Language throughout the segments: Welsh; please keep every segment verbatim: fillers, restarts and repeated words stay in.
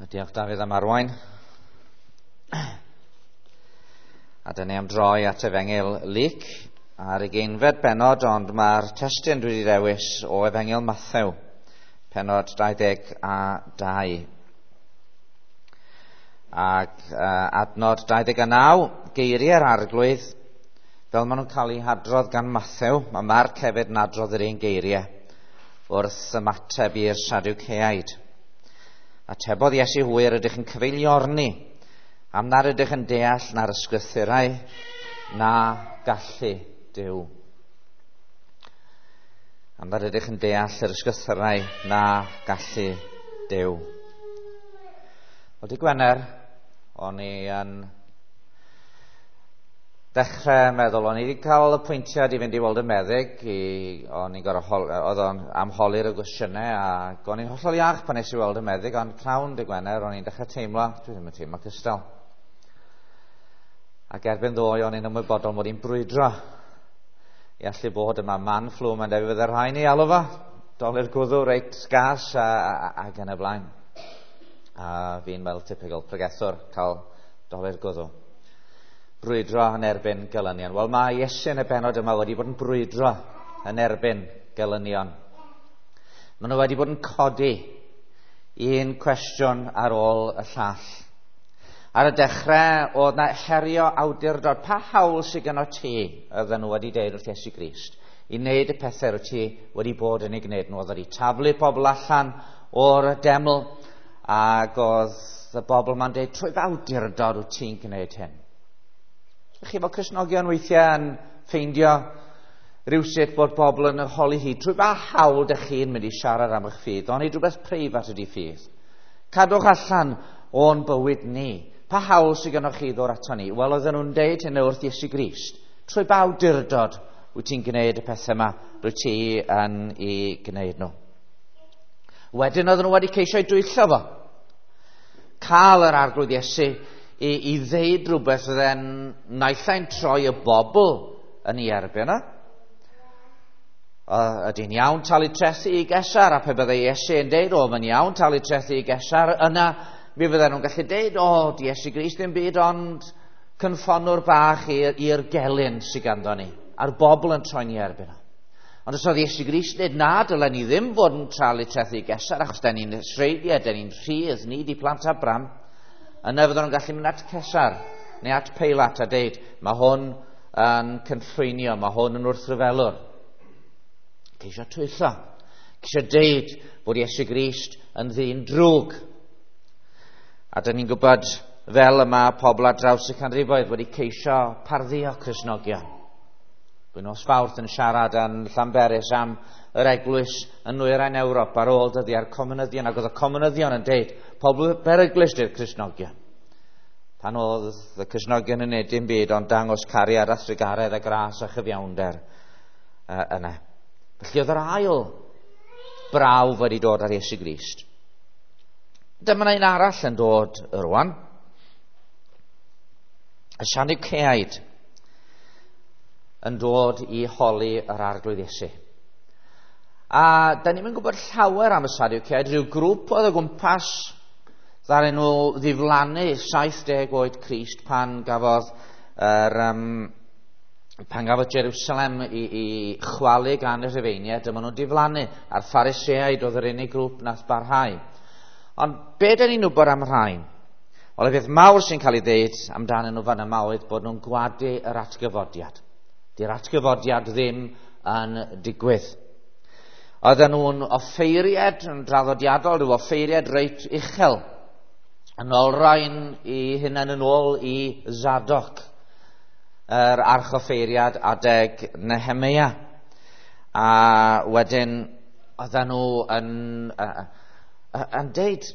Diolch Dafydd am arwain. A dyna ni am droi at Efengyl Luc ar ugeinfed bennod, ond mae'r testun dwi wedi dewis o Efengyl Mathew, pennod dau ddeg a dau. Ac uh, adnod dau ddeg a naw, geiriau'r Arglwydd, fel maen nhw'n cael eu hadrodd gan Mathew. Mae Marc hefyd yn adrodd yr un geiriau wrth ymateb i'r Sadwceaid. Atebodd Iesu hwy, yr ydych yn cyfeiliorni, am nad ydych yn deall na'r ysgrythurau na gallu Duw. Am nad ydych yn deall yr ysgrythurau na gallu Duw. Wel, dydd Gwener, o'n i yn dechrau meddwl, o'n i wedi cael apwyntiad i fynd i weld y meddyg, i, o'n i'n gorfod, oedd o'n amholi'r y gwestiynau, ac o'n i'n hollol iach pan nes i weld y meddyg, ond pnawn dydd Gwener, o'n i'n dechrau teimlo, dwi ddim yn teimlo cystal. Ac erbyn ddoe, o'n i'n ymwybodol mod i'n brwydro i allu bod yma. Man flu, mae'n debyg fydde rhaid ni alw fo, dolur gwddw reit gas a, a, ac yn y blaen. A fi'n fel typical pregethwr cael dolur gwddw. Brwydro yn erbyn gelynion. Wel, mae Iesu yn y bennod yma wedi bod yn brwydro yn erbyn gelynion. Maen nhw wedi bod yn codi un cwestiwn ar ôl y llall. Ar y dechrau, oedd na herio awdurdod. Pa hawl sydd gynno ti, oedden nhw wedi deud wrth Iesu Grist, i wneud y pethau wyt ti wedi bod yn ei gwneud nhw. Oedd wedi taflu pobl allan o'r deml, ac oedd y bobl ma'n deud, trwy awdurdod wyt ti'n gwneud hyn. Chi fel Cristnogion weithiau yn ffeindio rhywsut bod bobl yn holi hi, trwy ba hawl dych chi'n mynd i siarad am eich ffydd, ond i rhywbeth preifat ydy ffydd. Cadwch allan o'n bywyd ni. Pa hawl sydd gennych chi ddod ato ni? Wel, oedden nhw'n deud hynny wrth Iesu Grist. Trwy ba awdurdod wyt ti'n gwneud y pethau yma, rwyt ti yn ei gwneud nhw. Wedyn oedden nhw wedi ceisio ei dwyllo fo. Cael yr Arglwydd Iesu i, i ddeud rhywbeth oedd e'n naill ai'n troi y bobl yn ei erbyn o. Ydy'n iawn talu trethi i Gesar, a pe byddai Iesu yn deud, o, mae'n iawn talu trethi i Gesar, yna mi fydden nhw'n gallu deud, o, di Iesu Grist ddim byd ond cynffonwr bach i'r gelyn sydd ganddo ni, a'r bobl yn troi'n ei erbyn o. Ond os oedd Iesu Grist yn dweud, na, dylen ni ddim fod yn talu trethi i Gesar, achos den ni'n Israeliaid, den ni'n rhydd, ni di plant Abraham, yna fydden nhw'n gallu mynd at Cesar neu at Peilat a deud, mae hwn yn cynllwynio, mae hwn yn wrthryfelwr. Ceisio twyllo, ceisio deud bod Iesu Grist yn ddyn drwg. A dyn ni'n gwybod fel yma pobl ar draws y canrifoedd wedi ceisio pardduo Cristnogion. Dwi'n nos Fawrth yn siarad yn Llanberis am yr eglwys yn nwyrain Ewrop ar ôl dyddiau'r comunyddion, ac oedd y comunyddion yn deud, pobl beryglus di'r Cristnogion. Pan oedd y Cristnogion yn neud dim byd ond dangos cariad a thrugaredd a gras a chyfiawnder uh, yna. Felly oedd yr ail brawf wedi dod ar Iesu Grist. Dyma un arall yn dod rwan. Y Sadwceaid yn dod i holi yr Arglwydd Iesu. A da ni'n gwybod llawer am y Sadwceaid, rhyw grŵp oedd o gwmpas ddaru nhw ddiflannu saith deg oed Crist pan gafodd yr, um, pan gafodd Jerusalem i, i chwalu gan y Rhufeiniaid, dyma nhw'n diflannu, a'r Phariseaid oedd yr unig grŵp nath barhau. Ond be da ni'n wybod am rhain? Wel, y peth mawr sy'n cael ei ddeud amdanyn nhw fan yma oedd bod nhw'n gwadu yr atgyfodiad. Di'r atgyfodiad ddim yn digwydd. Oedden nhw'n offeiriad yn draddodiadol, rhyw offeiriad reit uchel, yn olrhain i hunain yn ôl i Zadok, yr archoffeiriad adeg Nehemia. A wedyn oedden nhw yn, yn deud,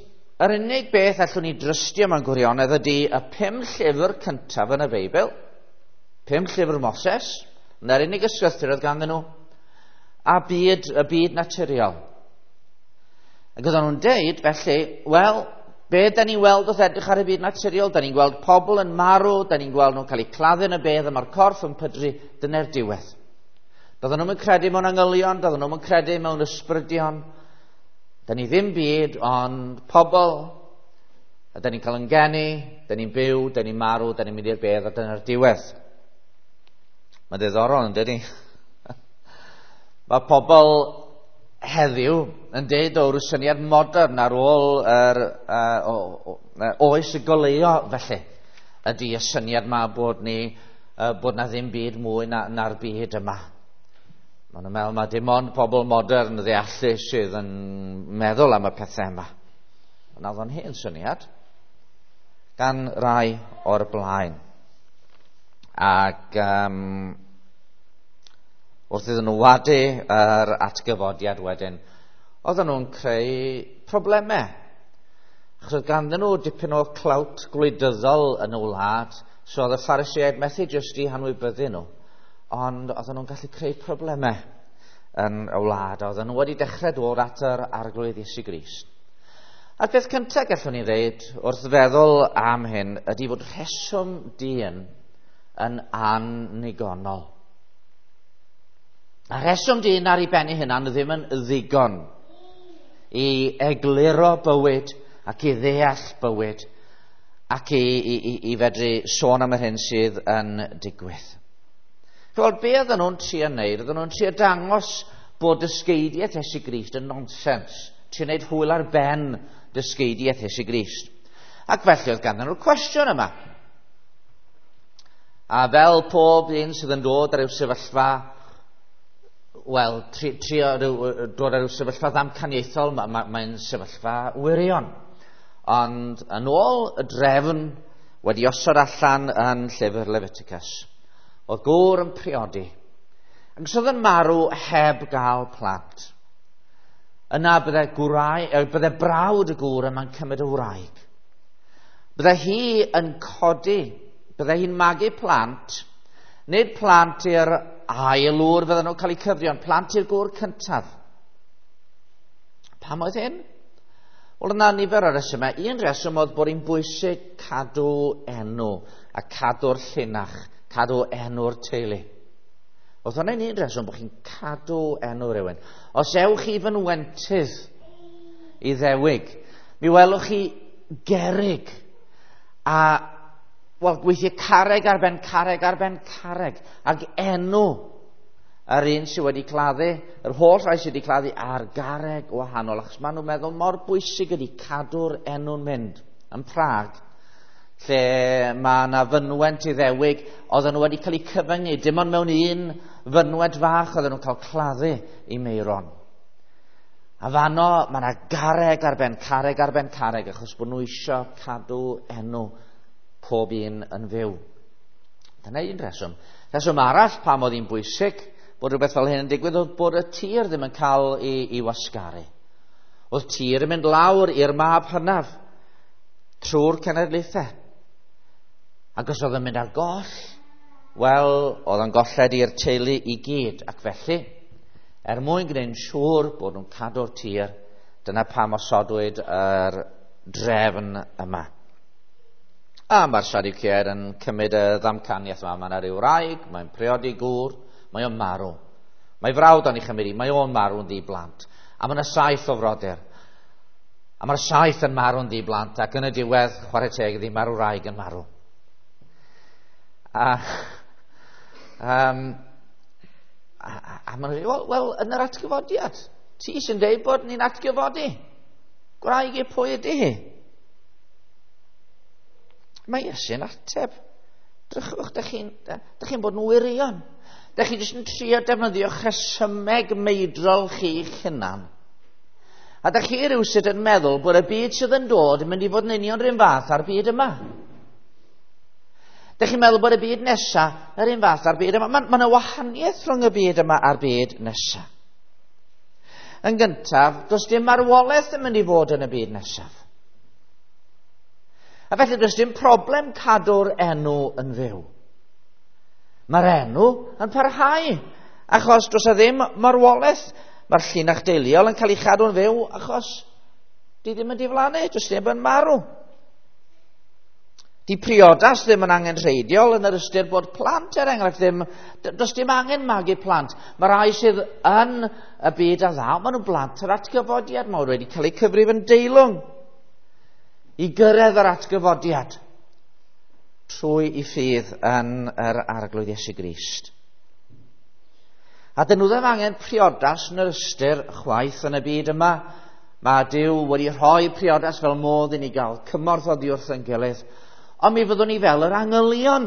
yr unig beth allwn ni drystio mewn gwirionedd ydy y pum llyfr cyntaf yn y Beibl, pum llyfr Moses, na'r unig ysgrythur oedd ganddyn nhw, a byd, y byd naturiol. Ac oedden nhw'n deud, felly, wel, be da ni'n weld wrth edrych ar y byd naturiol? Da ni'n gweld pobl yn marw, da ni'n gweld nhw'n cael eu claddu yn y bedd, a mae'r corff yn pydru, dyna'r diwedd. Doedden nhw'n credu mewn angylion, doedden nhw'n credu mewn ysbrydion. Da ni ddim byd, ond pobl A da ni'n cael yn geni, da ni'n byw, da ni'n marw, da ni'n mynd i'r bedd, a dyna'r diwedd. Mae'n ddiddorol, yn dydi? Mae pobl heddiw yn deud o ryw syniad modern ar ôl yr, uh, o, o, oes y goleuo felly, ydy y syniad ma bod ni, uh, bod na ddim byd mwy na, na'r byd yma. Maen nhw'n meddwl mae dim ond pobl modern ddeallus sydd yn meddwl am y pethau yma. Ond oedd o'n hen syniad gan rai o'r blaen. Ac um, wrth iddyn nhw wadu yr atgyfodiad wedyn, oedden nhw'n creu problemau. Achos oedd ganddyn nhw dipyn o clout gwleidyddol yn y wlad, so oedd y Phariseaid methu jyst i hanwybyddu nhw, ond oedden nhw'n gallu creu problemau yn y wlad. Oedden nhw wedi dechrau dod at yr Arglwydd Iesu Grist. A'r peth cyntaf gallwn ni ddeud wrth feddwl am hyn ydy fod rheswm dyn yn annigonol. A rheswm dyn ar ei ben ei hunan ddim yn ddigon i egluro bywyd ac i ddeall bywyd ac i, i, i, i fedru sôn am yr hyn sydd yn digwydd. Wel, be oedden nhw'n trio wneud? Oedden nhw'n trio dangos bod dysgeidiaeth Iesu Grist yn nonsens. Trio wneud hwyl ar ben dysgeidiaeth Iesu Grist. Ac felly oedd ganddyn nhw'r cwestiwn yma. A fel pob un sydd yn dod ar ryw sefyllfa, wel, tri, trio ryw, dod ar ryw sefyllfa ddamcaniaethol, mae'n ma, ma sefyllfa wirion. Ond yn ôl y drefn wedi osod allan yn llyfr Leviticus, oedd gŵr yn priodi, ac os oedd yn marw heb gael plant, yna bydde, gwrai, bydde brawd y gŵr yma'n cymryd y wraig. Bydde hi yn codi, bydde hi'n magu plant, nid plant i'r ail ŵr fydden nhw'n cael eu cyfri, ond plant i'r gŵr cyntaf. Pam oedd hyn? Wel, yna nifer o resymau. Un reswm oedd bod hi'n bwysig cadw enw a cadw'r llinach, cadw enw'r teulu. Oedd hwnna'n un reswm bod chi'n cadw enw rhywun. Os ewch chi fynwentydd i ddewig, mi welwch chi gerrig a, wel, gweithio carreg ar ben carreg ar ben carreg, ac enw yr un sydd wedi claddu, yr holl rai sydd wedi claddu ar garreg wahanol, achos maen nhw'n meddwl mor bwysig ydy cadw'r enw'n mynd. Yn Prag, lle mae yna fynwent Iddewig, oedden nhw wedi cael eu cyfyngu, dim ond mewn un fynwent fach oedden nhw'n cael claddu i Meiron. A fanno, mae yna garreg ar ben carreg ar ben carreg, achos bod nhw eisiau cadw enw pob un yn fyw. Dyna un reswm. Reswm arall pam oedd hi'n bwysig bod rhywbeth fel hyn yn digwydd oedd bod y tir ddim yn cael ei, ei wasgaru. Oedd tir yn mynd lawr i'r mab hynaf trwy'r cenedlaethau. Ac os oedd yn mynd ar goll, wel, oedd yn golled i'r teulu i gyd. Ac felly, er mwyn gwneud yn siŵr bod nhw'n cadw'r tir, dyna pam osodwyd yr drefn yma. A mae'r Sadwceaid yn cymryd y ddamcaniaeth yma. Mae yna ryw wraig, mae'n priodi gŵr, mae o'n marw. Mae frawd o'n ei chymryd i, mae o'n marw'n ddi-blant. A mae yna saith o frodyr. A mae'r saith yn marw'n ddi-blant, ac yn y diwedd, chwarae teg iddi, mae'r wraig yn marw. A, um, a, a, a maen nhw'n dweud, wel, wel, yn yr atgyfodiad, ti sy'n deud bod ni'n atgyfodi. Gwraig i pwy ydy hi? Mae Iesu'n ateb. Drychwch, dych chi'n chi bod yn wirion. Dych chi jyst yn trio defnyddio rhesymeg meidrol chi'ch hunan. A dych chi rywsut yn meddwl bod y byd sydd yn dod yn mynd i fod yn union rhywun fath â'r byd yma. Dych chi'n meddwl bod y byd nesaf yr un fath â'r byd yma. Mae yna wahaniaeth rhwng y byd yma a'r byd nesaf. Yn gyntaf, does dim marwolaeth yn mynd i fod yn y byd nesaf. A felly does dim problem cadw'r enw yn fyw. Mae'r enw yn parhau, achos does e ddim marwolaeth. Mae'r llinach deuluol yn cael ei chadw'n fyw achos di ddim yn diflannu, does neb yn marw. Di priodas ddim yn angenrheidiol yn yr ystyr bod plant, er enghraifft, ddim, does dim angen magu plant. Mae rai sydd yn y byd a ddaw, maen nhw'n blant yr atgyfodiad, maen nhw wedi cael eu cyfrif yn deilwng. i gyrraedd yr atgyfodiad trwy i ffydd yn yr Arglwydd Iesu Grist. A dyn nhw ddim angen priodas yn yr ystyr chwaith yn y byd yma. Mae Duw wedi rhoi priodas fel modd i ni gael cymorth oddi wrth ein gilydd. Ond mi fyddwn ni fel yr angylion.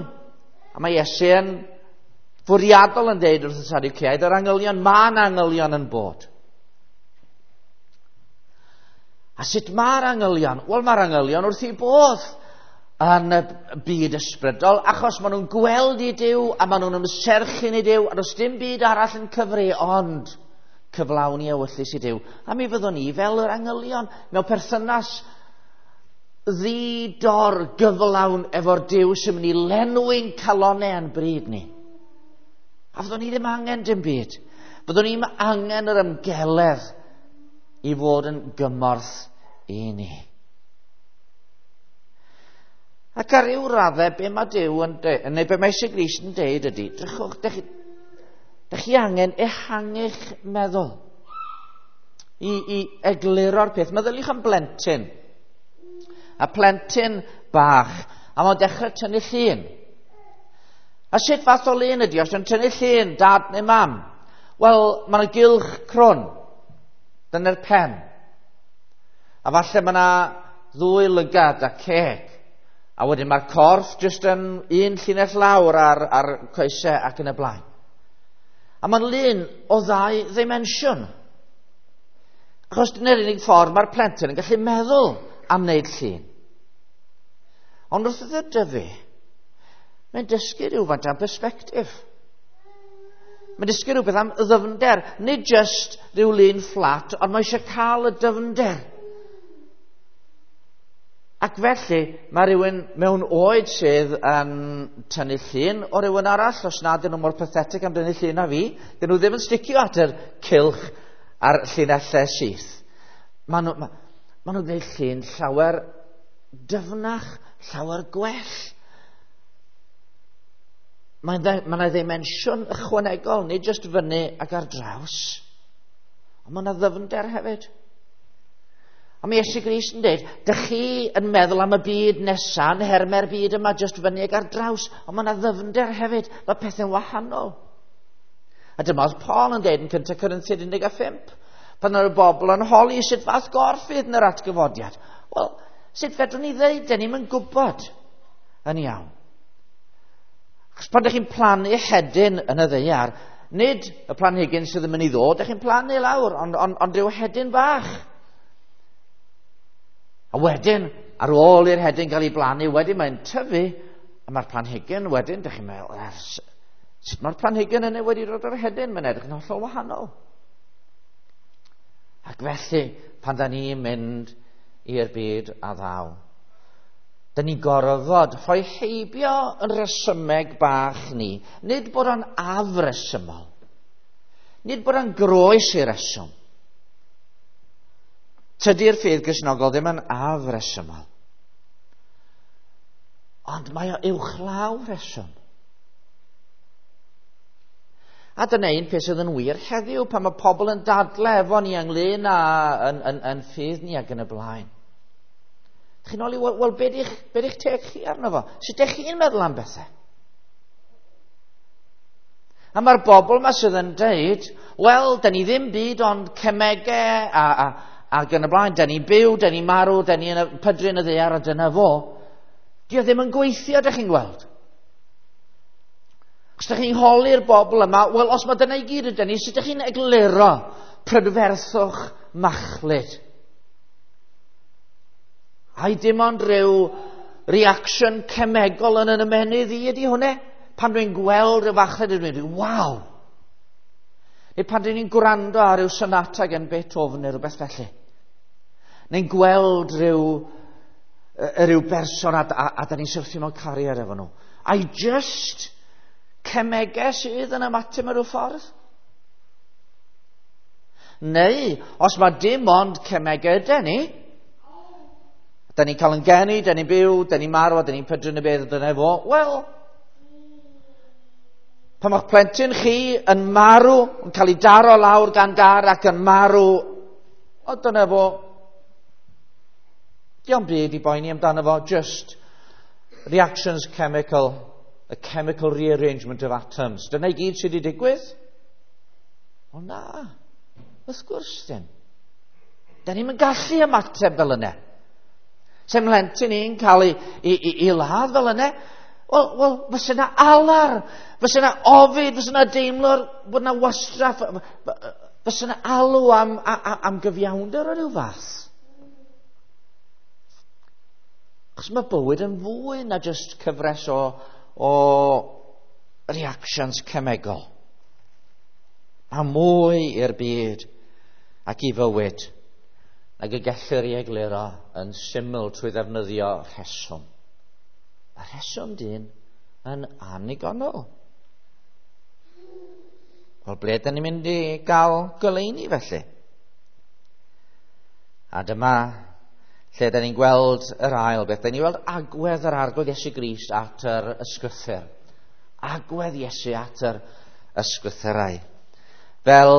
A mae Iesu yn fwriadol yn deud wrth y Sadwceaid, yr angylion, mae'n angylion yn bod. A sut mae'r angylion? Wel, mae'r angylion wrth eu bodd yn y byd ysbrydol, achos maen nhw'n gweld i Duw a maen nhw'n ymserchu'n i Duw, a does dim byd arall yn cyfri ond cyflawni ewyllys i Duw. A mi fyddwn ni fel yr angylion mewn perthynas ddi-dor gyflawn efo'r Duw sy'n mynd i lenwi'n calonnau yn bryd ni. A fyddwn ni ddim angen dim byd. Fyddwn ni ddim angen yr ymgeledd i fod yn gymorth i ni. Ac ar ryw raddau, be mae Duw yn deud, neu be mae Iesu Grist yn deud ydy, drychwch, dych chi, dych chi angen ehangu'ch meddwl i, i egluro'r peth. Meddyliwch am blentyn. A plentyn bach, a mae'n dechrau tynnu llun. A sut fath o lun ydy, os yw'n tynnu llun, dad neu mam? Wel, mae'n gylch crwn. Dyna'r pen. A falle mae yna ddwy lygad a ceg. A wedyn mae'r corff jyst yn un llinell lawr ar, ar coesau ac yn y blaen. A mae'n lun o ddau ddimensiwn. Achos dyna'r unig ffordd mae'r plentyn yn gallu meddwl am wneud llun. Ond wrth iddo dyfu, mae'n dysgu rhywfaint am perspectif. Mae'n dysgu rhywbeth am ddyfnder, nid just rhyw lun fflat, ond mae eisiau cael y dyfnder. Ac felly, mae rhywun mewn oed sydd yn tynnu llun o rhywun arall, os nad ydyn nhw mor pathetic am dynnu llun a fi, dyn nhw ddim yn sticio at yr cylch a'r llinellau syth. Maen nhw, ma, ma nhw'n gwneud llun llawer dyfnach, llawer gwell. Mae'n ma yna ddimensiwn ychwanegol, nid jyst fyny ac ar draws, ond mae yna ddyfnder hefyd. A mae Iesu Grist yn dweud, dych chi yn meddwl am y byd nesaf, yn herme'r byd yma, jyst fyny ac ar draws, ond mae yna ddyfnder hefyd, mae pethau'n wahanol. A dyma oedd Paul yn dweud yn cyntaf Corinthiaid un deg pump, pan oedd y bobl yn holi sut fath gorff fydd yn yr atgyfodiad. Wel, sut fedrwn ni ddeud, dyn ni'm yn gwybod yn iawn. Achos pan ydych chi'n plannu hedyn yn y ddaear, nid y planhigyn sydd yn mynd i ddod, ydych chi'n plannu lawr, ond, ond, ond rhyw hedyn bach. A wedyn, ar ôl i'r hedyn gael ei blannu, wedyn mae'n tyfu, a mae'r planhigyn wedyn, ydych chi'n meddwl, sut mae'r planhigyn yna wedi dod o'r hedyn? Mae'n edrych yn hollol wahanol. Ac felly, pan da ni'n mynd i'r byd a ddaw, da ni'n gorfod rhoi heibio yn resymeg bach ni. Nid bod o'n afresymol. Nid bod o'n groes i reswm. Tydi'r ffydd Gristnogol ddim yn afresymol. Ond mae o uwchlaw reswm. A dyna un peth sydd yn wir heddiw pan mae pobl yn dadle efo ni ynglyn â yn, yn, yn ffydd ni ac yn y blaen. Chi'n holi, wel, wel be di'ch, be di'ch teg chi arno fo? Sut ydych chi'n meddwl am bethau? A mae'r bobl yma sydd yn deud, wel, da ni ddim byd ond cemegau a, a, ac yn y blaen, da ni'n byw, da ni'n marw, da ni'n pydru yn y ddaear a dyna fo. Dio ddim yn gweithio, ydych chi'n gweld. Os ydych chi'n holi'r bobl yma, wel, os mae dyna i gyd ydyn ni, sut ydych chi'n egluro prydferthwch machlud? Ai dim ond rhyw reaction cemegol yn yn ymennydd i ydy hwnna? Pan dwi'n gweld rhyw fachlud, dwi'n mynd, waw! Neu pan dwi'n gwrando ar ryw sonata gan Beethoven neu rhywbeth felly. Neu'n gweld rhyw, rhyw berson a, a, a da ni'n syrthio mewn cariad efo nhw. Ai just cemegau sydd yn ymateb mewn rhyw ffordd? Neu, os mae dim ond cemegau ydy ni, da ni'n cael yn geni, da ni'n byw, da ni'n marw, da ni'n pydru yn y bedd, dyna fo, wel, pan mae'ch plentyn chi yn marw, yn cael ei daro lawr gan gar ac yn marw, o dyna fo. Dio'm byd i boeni amdano fo, just reactions chemical, a chemical rearrangement of atoms. Dyna i gyd sydd wedi digwydd? O na, wrth gwrs ddim. Da ni'm yn gallu ymateb fel yna. Se mhlentyn i'n cael ei, ei, ei, ei ladd fel yna, wel, wel, fysa yna alar, fysa yna ofid, fysa yna deimlo bod yna wastraff, fysa yna alw am, am, am gyfiawnder o ryw fath. Achos mae bywyd yn fwy na just cyfres o, o reactions cemegol. Mae mwy i'r byd ac i fywyd nag y gellir ei egluro yn syml trwy ddefnyddio rheswm. Mae rheswm dyn yn annigonol. Wel, ble dyn ni'n mynd i gael goleuni felly? A dyma lle dyn ni'n gweld yr ail beth. Dyn ni'n gweld agwedd yr Arglwydd Iesu Grist at yr ysgrythur. Agwedd Iesu at yr ysgrythurau. Fel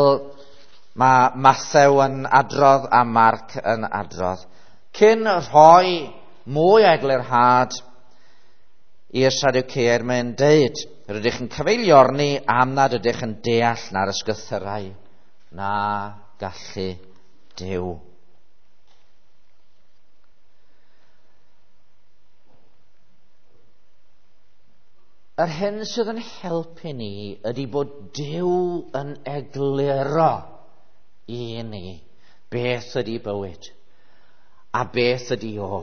mae Mathew yn adrodd a Marc yn adrodd. Cyn rhoi mwy o eglurhad i'r Sadwceaid, mae'n deud, rydych yn cyfeiliorni am nad ydych yn deall na'r ysgrythurau na gallu Duw. Yr hyn sydd yn helpu ni ydy bod Duw yn egluro i ni beth ydy bywyd a beth ydy o.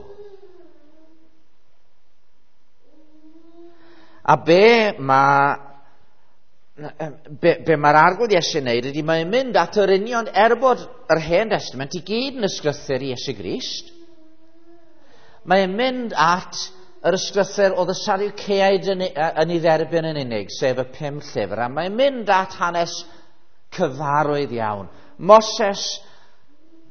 A be mae be, be mae'r Arglwydd Iesu'n neud ydy mae'n mynd at yr union, er bod yr Hen Testament i gyd yn ysgrythur i Iesu Grist, mae'n mynd at yr ysgrythur oedd y Sadwceaid yn, yn ei dderbyn yn unig, sef y pum llyfr, a mae'n mynd at hanes cyfarwydd iawn. Moses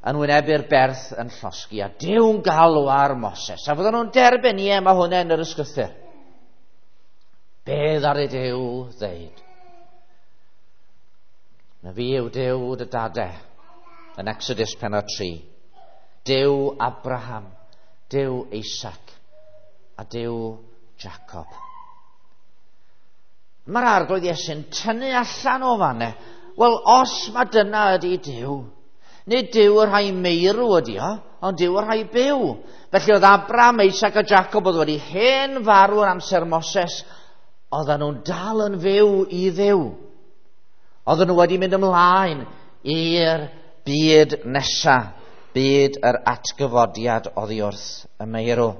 yn wynebu'r berth yn llosgi, a Duw'n galw ar Moses, a fydden nhw'n derbyn, ie, mae hwnna yn yr ysgrythur. Be ddaru Duw ddeud? Na fi yw Duw dy dade, yn Exodus pennod tri. Duw Abraham, Duw Isaac, a Duw Jacob. Mae'r Arglwydd Iesu'n tynnu allan o fanne. Wel, os mae dyna ydy Duw, nid Duw y rhai meirw ydy o, ond Duw y rhai byw. Felly oedd Abraham, Isaac a Jacob oedd wedi hen farw yn amser Moses, oedden nhw'n dal yn fyw i Dduw. Oedden nhw wedi mynd ymlaen i'r byd nesa, byd yr atgyfodiad oddi wrth y meirw.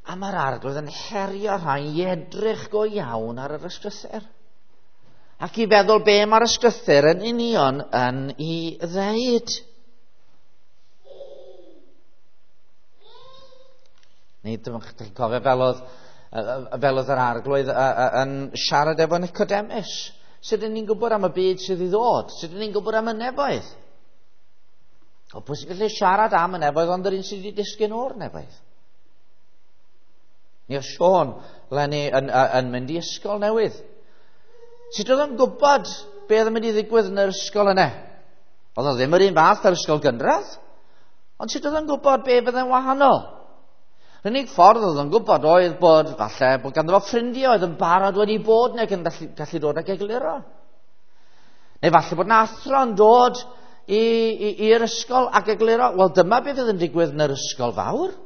A mae'r Arglwydd yn herio rhai i edrych go iawn ar yr ysgrythur. Ac i feddwl be mae'r ysgrythur yn union yn ei ddeud. Nid chi'n cofio fel oedd, fel oedd yr Arglwydd yn siarad efo Nicodemus. Sut ydyn ni'n gwybod am y byd sydd i ddod? Sut ydyn ni'n gwybod am y nefoedd? O, pwy sy'n gallu siarad am y nefoedd ond yr un sydd wedi disgyn o'r nefoedd? Ni o Siôn, Lenny, yn, yn mynd i ysgol newydd. Sut oedd o'n gwybod be oedd yn mynd i ddigwydd yn yr ysgol yna? Oedd o ddim yr un fath ar ysgol gynradd. Ond sut oedd o'n gwybod be fydde'n wahanol? Yr unig ffordd oedd o'n gwybod oedd bod, falle, bod ganddo fo ffrindiau oedd yn barod wedi bod neu yn gallu, gallu dod ag egluro. Neu falle bod 'na athro yn dod i'r ysgol ac egluro, wel dyma beth oedd yn digwydd yn yr ysgol fawr.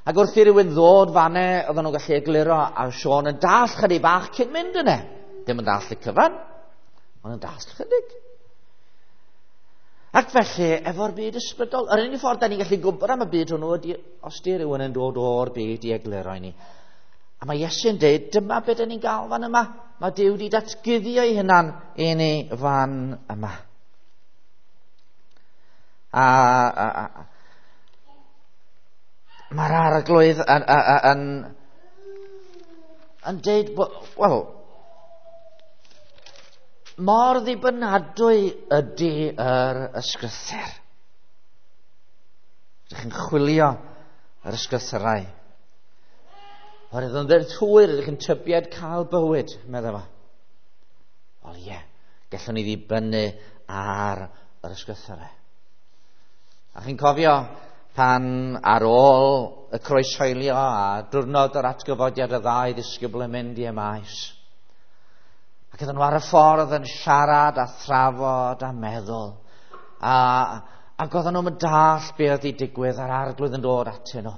Ac wrth i rywun ddod fanne, oedden nhw'n gallu egluro, a Siôn yn dall chydig bach cyn mynd yna. Dim yn dall y cyfan, ond yn dall chydig. Ac felly, efo'r byd ysbrydol, yr unig ffordd da ni'n gallu gwybod am y byd hwnnw ydy os di rhywun yn dod o'r byd i egluro i ni. A mae Iesu'n dweud, dyma beth da ni'n gael fan yma. Mae Duw wedi datguddio ei hunan i ni fan yma. A, a, a mae'r Arglwydd yn, yn, yn, yn deud, wel, mor ddibynadwy ydy yr ysgrythur. Ydych chi'n chwilio yr ysgrythurau. Oherwydd yn ddweud hwyr ydych chi'n tybied cael bywyd, meddai fo. Wel ie, gallwn ni ddibynnu ar yr ysgrythurau. A chi'n cofio pan ar ôl y croeshoelio a diwrnod yr atgyfodiad y ddau ddisgybl yn mynd i Emaus. Ac oedden nhw ar y ffordd yn siarad a thrafod a meddwl. A, ac oedden nhw'n dallt be oedd wedi digwydd a'r arglwydd yn dod atyn nhw.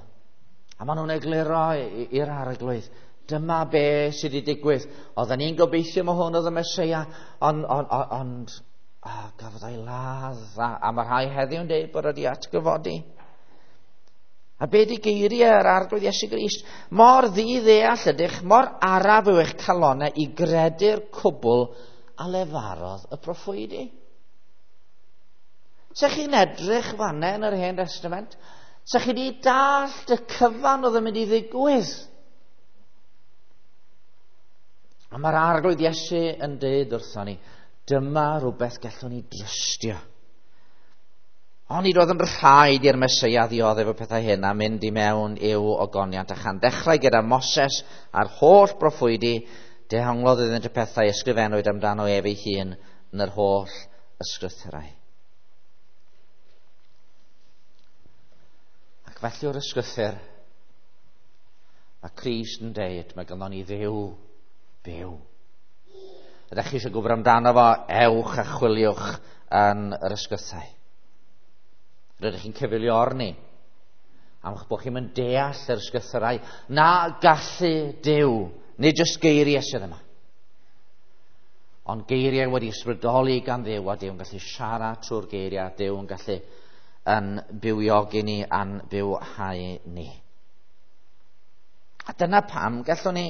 A maen nhw'n egluro i'r arglwydd. Dyma be sydd wedi digwydd. Oedden ni'n gobeithio mae hwn oedd y Meseia, ond on, on, ond oh, gafodd o'i ladd. A, a mae rhai heddiw'n dweud bod wedi atgyfodi. A be di geiriau yr arglwydd Iesu Grist? Mor ddi-ddeall ydych, mor araf yw eich calonau i gredu'r cwbl a lefarodd y proffwydi. Se chi'n edrych fanna yn yr Hen Testament, se chi wedi dallt y cyfan oedd yn mynd i ddigwydd. A mae'r arglwydd Iesu yn deud wrthon ni, dyma rhywbeth gallwn ni drystio. Ond nid oedd yn rhaid i'r Meseia ddioddef y pethau hyn a mynd i mewn i'w ogoniant, a chan ddechrau gyda Moses a'r holl broffwydi, dehonglodd iddynt y pethau ysgrifennwyd amdano ef ei hun yn yr holl ysgrythurau. Ac felly o'r ysgrythur, mae Crist yn deud, mae ganddo ni Dduw byw. Ydych chi eisiau gwybod amdano fo, ewch a chwiliwch yn yr ysgrythau. Rydych chi'n cyfeilio arni am eich bod chi'n mynd deall yr ysgrythurau na gallu Duw, nid jyst geiriau sydd yma, ond geiriau wedi ysbrydoli gan Dduw, a Duw yn gallu siarad trwy'r geiriau, Duw yn gallu yn bywiogi ni a'n bywhau ni. A dyna pam gallwn ni,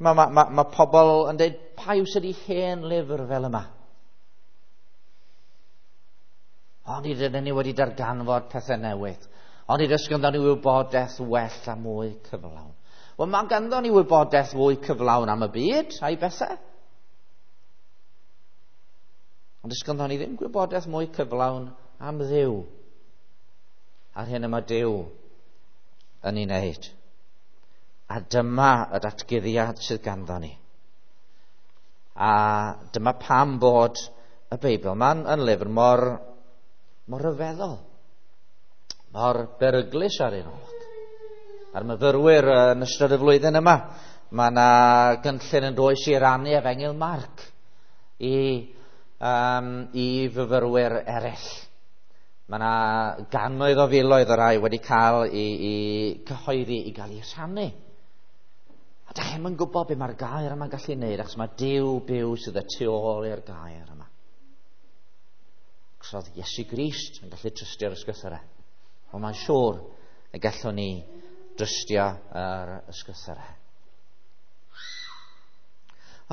mae ma, ma, ma pobl yn dweud, pa yw sydd i hen lyfr fel yma? Ond i dydyn ni wedi darganfod pethau newydd. Ond i oes ganddo ni wybodaeth well a mwy cyflawn. Wel, mae ganddo ni wybodaeth fwy cyflawn am y byd a'i bethau. Ond oes ganddo ni ddim gwybodaeth mwy cyflawn am Dduw. A'r hyn yma Duw yn ei wneud. A dyma y datguddiad sydd ganddo ni. A dyma pam bod y Beibl ma'n yn lyfr mor mor ryfeddol, mor beryglus ar un olwg. A'r myfyrwyr yn ystod y flwyddyn yma, mae yna gynllun yn does i rannu Efengyl Marc i, um, i fyfyrwyr eraill. Mae yna gannoedd o filoedd o rai wedi cael i, i cyhoeddi i gael ei rhannu. A da chi'm yn gwybod be mae'r gair yma'n gallu wneud, achos mae Duw byw sydd y tu ôl i'r gair yma. Achos oedd Iesu Grist yn gallu trystio'r ysgrythurau. Ond mae'n siŵr y gallwn ni drystio yr ysgrythurau.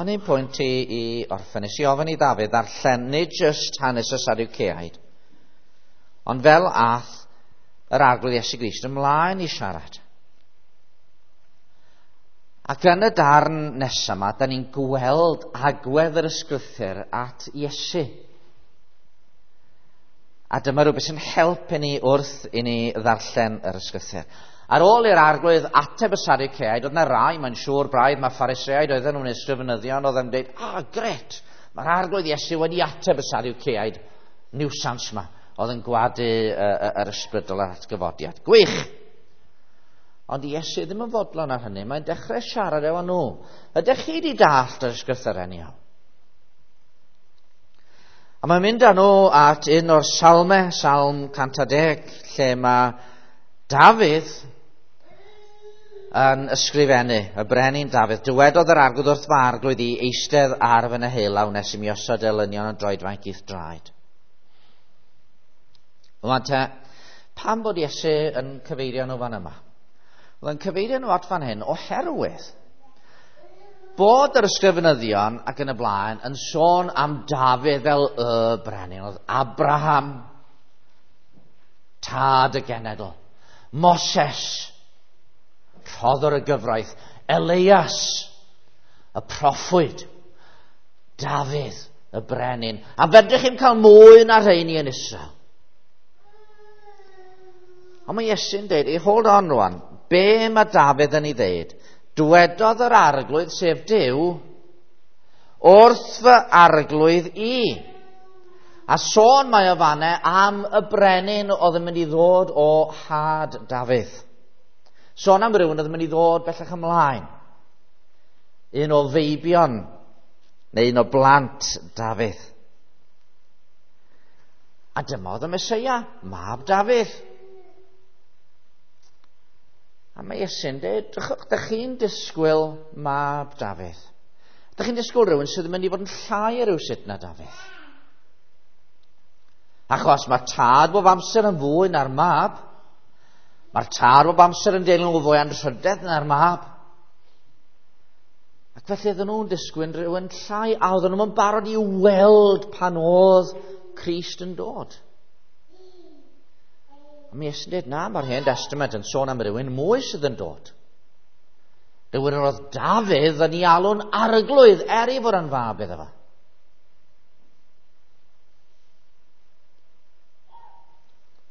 Ond un pwynt i, i orffen, nes i ofyn i Ddafydd ddarllen nid jyst hanes y Sadwceaid, ond fel ath yr arglwydd Iesu Grist ymlaen i siarad. Ac yn y darn nesaf yma, da ni'n gweld agwedd yr ysgrythur at Iesu. A dyma rhywbeth sy'n helpu ni wrth i ni ddarllen yr ysgrythur. Ar ôl i'r arglwydd ateb y Sadwceaid, oedd yna rai, mae'n siŵr braidd, mae Phariseaid oedden nhw'n ysgrifenyddion, oedd yn dweud, ah, gret, mae'r arglwydd Iesu wedi ateb y Sadwceaid, niwsans yma, oedd yn gwadu yr ysbrydol a'r atgyfodiad. Gwych! Ond Iesu ddim yn fodlon ar hynny, mae'n dechrau siarad efo nhw. Ydych chi wedi dallt yr ysgrythurau'n iawn? A mae'n mynd â nhw at un o'r salmau, Salm cant a deg, lle mae Dafydd yn ysgrifennu, y brenin Dafydd. Dywedodd yr arglwydd wrth fy arglwydd i eistedd ar fy neheullaw nes i mi osod elynion yn droedfainc i'th draed. Rwan te, pam bod Iesu yn cyfeirio nhw fan yma? Wel, yn cyfeirio nhw at fan hyn oherwydd bod yr ysgrifenyddion ac yn y blaen yn sôn am Dafydd fel y brenin. Oedd Abraham, tad y genedl, Moses, rhoddwr y gyfraith, Elias, y proffwyd, Dafydd, y brenin. A fedrwch chi'm cael mwy na rheini yn Israel. Ond mae Iesu'n dweud, ei hold on rwan, be mae Dafydd yn ei ddeud? Dywedodd yr arglwydd, sef Duw, wrth fy arglwydd i. A sôn mae o fanne am y brenin oedd yn mynd i ddod o had Dafydd. Sôn am rhywun oedd yn mynd i ddod bellach ymlaen. Un o feibion, neu un o blant Dafydd. A dyma oedd y Meseia, mab Dafydd. A mae Iesu'n dweud, dych chi'n disgwyl mab Dafydd. Dych chi'n disgwyl rhywun sydd yn mynd i fod yn llai rhywsut na Dafydd. Achos mae tad bob amser yn fwy na'r mab. Mae'r tad bob amser yn deilwng o fwy anrhydedd na'r mab. Ac felly oedden nhw'n disgwyl rhywun llai, a oedden nhw'n barod i weld pan oedd Crist yn dod. A mi Iesu'n dweud, na, mae'r Hen Testament yn sôn am rhywun mwy sydd yn dod. Rhywun yr oedd Dafydd yn ei alw'n arglwydd er ei fod yn fab iddo fo.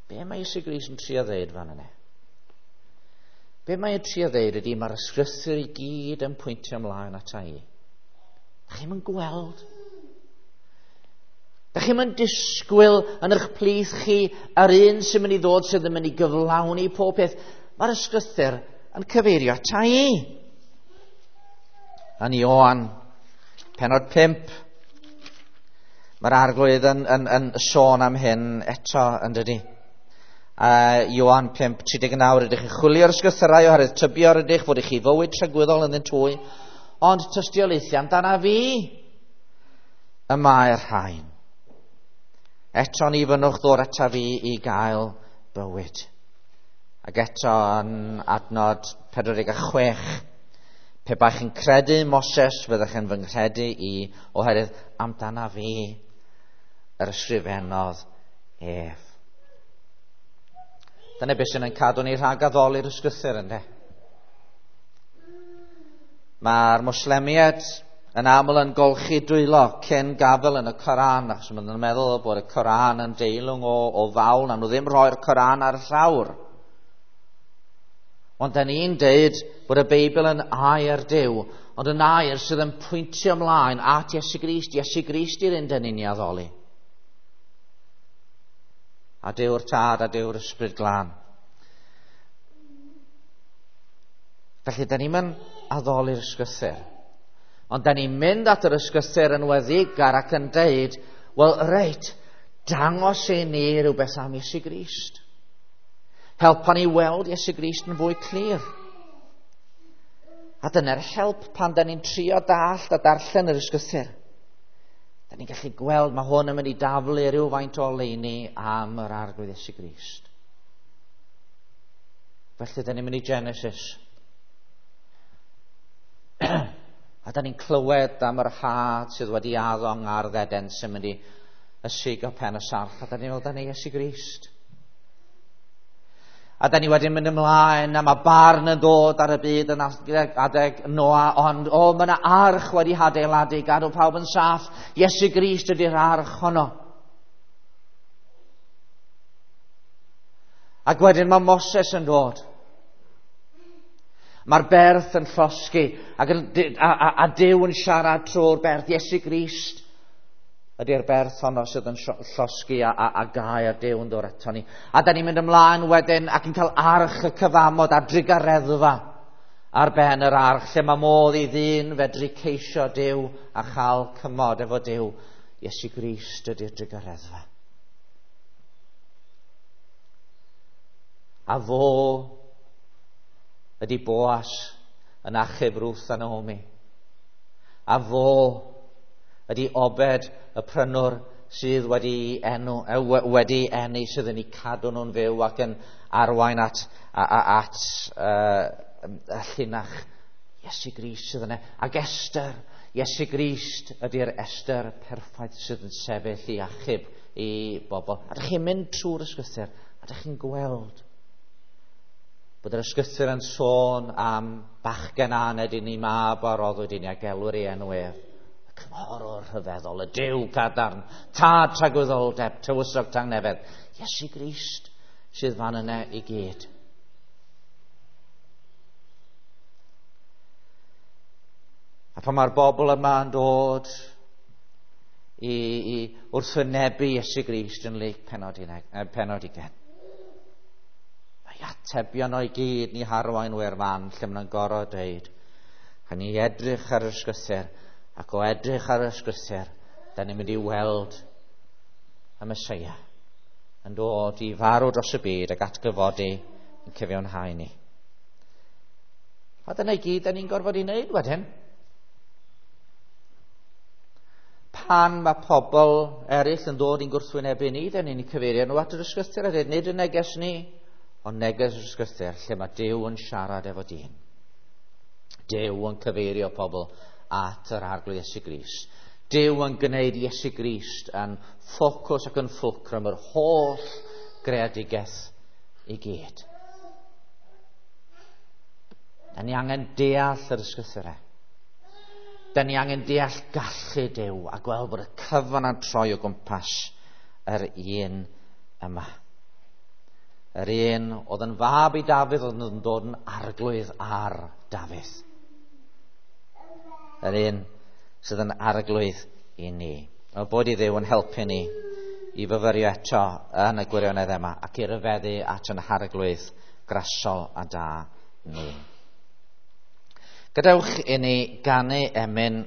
Be mae Iesu Grist yn trio ddeud fan yna? Be mae'n trio ddeud ydy mae'r ysgrythur i gyd yn pwyntio ymlaen ata i. Da chi'm yn gweld. Da chi'm yn disgwyl yn eich plith chi yr un sy'n mynd i ddod sydd yn mynd i gyflawni pob peth. Mae'r ysgrythur yn cyfeirio ata i. Yn Ioan, pennod pump, mae'r arglwydd yn, yn, yn sôn am hyn eto, yn dydi? Uh, Ioan pump, tri deg naw, rydych chi'n chwilio'r ysgrythurau oherwydd tybio rydych fod i chi fywyd tragwyddol ynddyn hwy, ond tystiolaethu amdana fi y mae'r rhain. Eto ni fynnwch ddod ata fi i gael bywyd. Ac eto yn adnod pedwar deg chwech, pe baech chi'n credu Moses, fyddech yn fy nghredu i, oherwydd amdana fi yr ysgrifennodd ef. Dyna beth sy'n yn cadw ni rhag addoli'r ysgrythur, ynde? Mae'r Moslemiaid yn aml yn golchi dwylo cyn gafel yn y Coran, achos maen nhw'n meddwl bod y Coran yn deilwng o, o fawl, na nhw ddim rhoi'r Coran ar y llawr. Ond da ni'n deud bod y Beibl yn air Duw, ond yn air sydd yn pwyntio ymlaen at Iesu Grist. Iesu Grist yw'r un dyn ni'n ei addoli. A Duw'r Tad a Duw'r Ysbryd Glân. Felly, da ni'n mynd addoli'r ysgrythur. Ond da ni'n mynd at yr ysgrythur yn weddigar ac yn deud, wel, reit, dangos i ni rhywbeth am Iesu Grist. Helpa ni weld Iesu Grist yn fwy clir. A dyna'r help pan da ni'n trio dallt a darllen yr ysgrythur. Da ni'n gallu gweld mae hwn yn mynd i daflu rhywfaint o oleuni am yr Arglwydd Iesu Grist. Felly da ni'n mynd i Genesis. A da ni'n clywed am yr had sydd wedi addo yng Ngardd Eden sy'n mynd i ysigo pen y sarff. A da ni'n meddwl, da ni Iesu Grist. A da ni wedyn mynd ymlaen, a mae barn yn dod ar y byd yn adeg Noa, ond o, mae yna arch wedi hadeiladu, gadw pawb yn saff. Iesu Grist ydy'r arch honno. Ac wedyn mae Moses yn dod. Mae'r berth yn llosgi, ac yn, a, a, a Duw yn siarad trwy'r berth. Iesu Grist ydy'r berth honno sydd yn llosgi a, a, a gair Duw yn dod ato ni. A da ni'n mynd ymlaen wedyn ac yn cael arch y cyfamod a'r drugareddfa ar ben yr arch, lle mae modd i ddyn fedru ceisio Duw a chael cymod efo Duw. Iesu Grist ydy'r drugareddfa. A fo ydy Boas yn achub Ruth a Naomi. A fo ydy Obed y prynwr sydd wedi enw, wedi enni, sydd yn eu cadw nhw'n fyw ac yn arwain at, at uh, y llinach Iesu Grist sydd yna. Ac Esther, Iesu Grist ydy'r Esther perffaith sydd yn sefyll i achub i bobl. A dych chi'n mynd trwy'r ysgrythur, a dych chi'n gweld bod yr ysgrythur yn sôn am bachgen aned i ni, mab a roddwyd i ni, a gelwir ei enw ef. Cynghorwr rhyfeddol, y Duw cadarn, tad tragwyddoldeb, tywysog tangnefedd. Iesu Grist sydd fan yna i gyd. A pan mae'r bobl yma yn dod i, i wrthwynebu Iesu Grist yn Luc pennod, pennod ugain. Mae atebion o'i gyd ni harwain i'r fan lle maen nhw'n gorfod dweud. A ni edrych ar yr ysgrythur, ac o edrych ar yr ysgrythur, da ni'n mynd i weld y Meseia yn dod i farw dros y byd ac atgyfodi yn cyfiawnhau ni. A dyna i gyd da ni'n gorfod i wneud wedyn. Pan mae pobl eraill yn dod i'n gwrthwynebu ni, da ni'n cyfeirio nhw at yr ysgrythur a dweud, nid y neges ni, ond neges yr ysgrythur lle mae Duw yn siarad efo dyn. Duw yn cyfeirio pobl at yr Arglwydd Iesu Grist. Duw yn gwneud Iesu Grist yn ffocws ac yn fulcrum yr holl greadigaeth i gyd. Da ni angen deall yr ysgrythurau. Da ni angen deall gallu Duw a gweld bod y cyfan yn troi o gwmpas yr un yma. Yr un oedd yn fab i Dafydd oedd yn dod yn arglwydd ar Dafydd. Yr un sydd yn arglwydd i ni. O bod i Dduw yn helpu ni i fyfyrio eto yn y gwirionedd yma ac i ryfeddu at yn harglwydd grasol a da ni. Gadewch i ni ganu emyn